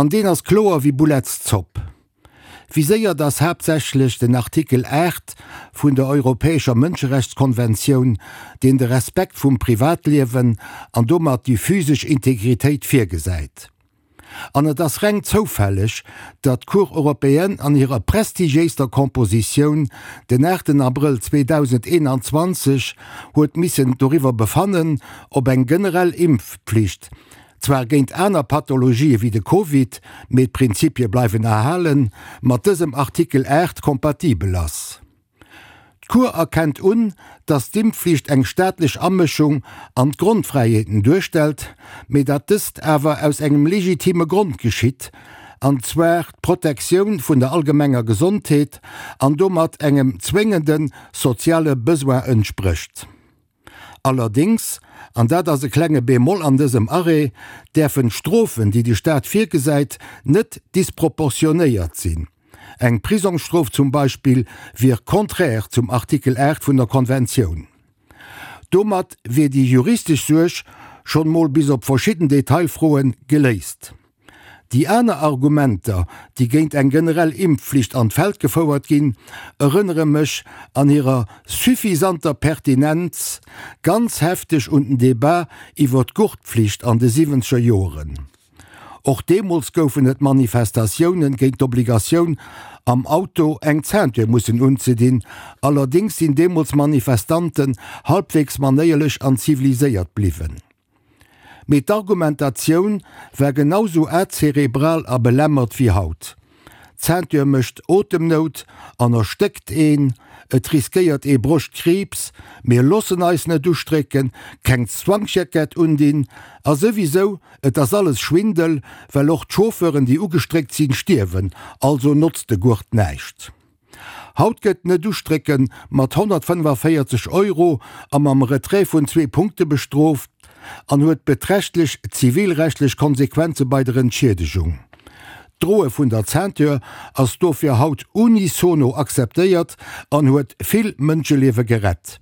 An deen ass kloer wéi Boulettszopp. Viséiert ass haaptsächlech den Artikel 8 vun der Europäescher Mënscherechtskonventioun, deen de Respekt vum Privatliewen an domat déi physesch Integritéit virgesäit. An et ass reng zoufälleg, datt d'Cour européenne an hirer prestigiéister Compositioun den 8 Abrëll 2021 huet missen doriwwer befannen, ob eng generell Impfpflicht, zwar géint aner Pathologië wéi de Covid, mee d'Prinzipie bleiwen erhalen, mat dësem Artikel 8 kompatibel ass. D'Cour erkennt un, datt d'Impfflicht eng staatlech Amëschung an d'Grondfräiheeten duerstellt, mee datt dëst awer aus engem legitime Grond geschitt, an zwar d'Protektioun vun der allgemenger Gesondheet an domat engem zwéngende soziale Besoin entsprécht. Allerdéngs, an dat ass e klenge Bémol an dësem Arrêt, däerfen d'Strofen, déi de Staat virgesäit, net disproportionéiert sinn. Eng Prisongsstrof zum Beispill wier contraire zum Artikel 8 vun der Konventioun. Domat wier déi juristesch Suerg schonn mol bis op verschidden Detailfroen geléist. Déi aner Argumenter, déi géint eng generell Impfflicht an d'Feld gefouert ginn, erënnere mech an hirer suffisanter Pertinenz ganz hefteg un den Debat iwwer d'Gurtpflicht an de siwwenzeger Joeren. Och deemools goufen et Manifestatiounen géint d'Obligatioun, am Auto eng Ceinture mussen unzedinn, allerdéngs sinn deemools Manifestanten halbwegs manéierlech an ziviliséiert bliwwen. Mee d'Argumentatioun war genau sou azerebral a belämmert wéi haut. D'Ceinture mécht Otemnout an erstéckt een, et riskéiert ee Broschtkriibs, mir loossen eis net ustrécken, keng Zwangsjackett undinn a souwisou, et ass alles Schwindel, well och d'Chauffeuren déi ugestréckt sinn stierwen, also notzt de Gurt näischt. Haut gëtt net ustrécken mat 145 Euro a mam Retrait vun zwee Punkte bestrooft an huet beträchtlech zivilrechtlech Konsequenze bei der Entschiedegung. D'Droe vun der Ceinture ass dofir haut unisono akzeptéiert an huet vill Mënscheliewe gerett.